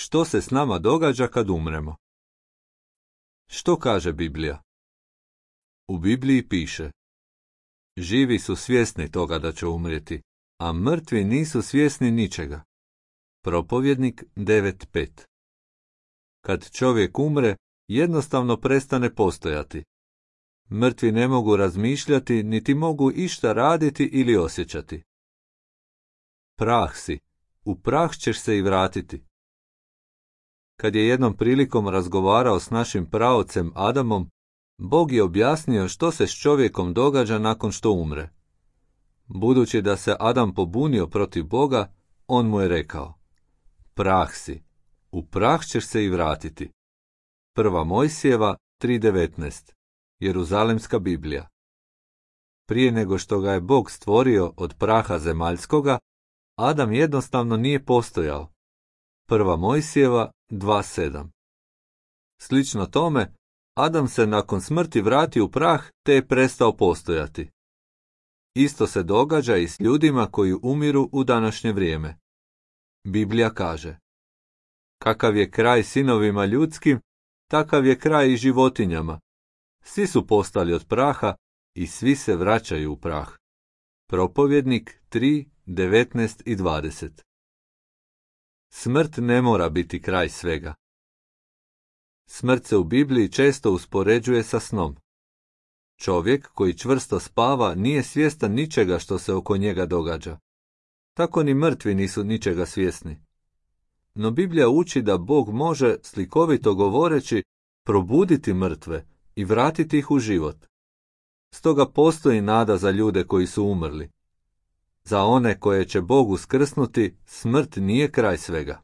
Što se s nama događa kad umremo? Što kaže Biblija? U Bibliji piše: živi su svjesni toga da će umrijeti, a mrtvi nisu svjesni ničega. Propovjednik 9.5. Kad čovjek umre, jednostavno prestane postojati. Mrtvi ne mogu razmišljati, niti mogu išta raditi ili osjećati. Prah si, u prah ćeš se i vratiti. Kad je jednom prilikom razgovarao s našim praocem Adamom, Bog je objasnio što se s čovjekom događa nakon što umre. Budući da se Adam pobunio protiv Boga, on mu je rekao: prah si, u prah ćeš se i vratiti. 1. Mojsijeva 3.19. Jeruzalemska Biblija. Prije nego što ga je Bog stvorio od praha zemaljskoga, Adam jednostavno nije postojao. 1. Mojsijeva 2.7. Slično tome, Adam se nakon smrti vrati u prah te je prestao postojati. Isto se događa i s ljudima koji umiru u današnje vrijeme. Biblija kaže: kakav je kraj sinovima ljudskim, takav je kraj i životinjama. Svi su postali od praha i svi se vraćaju u prah. Propovjednik 3.19 i 20. Smrt ne mora biti kraj svega. Smrt se u Bibliji često uspoređuje sa snom. Čovjek koji čvrsto spava nije svjestan ničega što se oko njega događa. Tako ni mrtvi nisu ničega svjesni. No Biblija uči da Bog može, slikovito govoreći, probuditi mrtve i vratiti ih u život. Stoga postoji nada za ljude koji su umrli. Za one koje će Bog uskrsnuti, smrt nije kraj svega.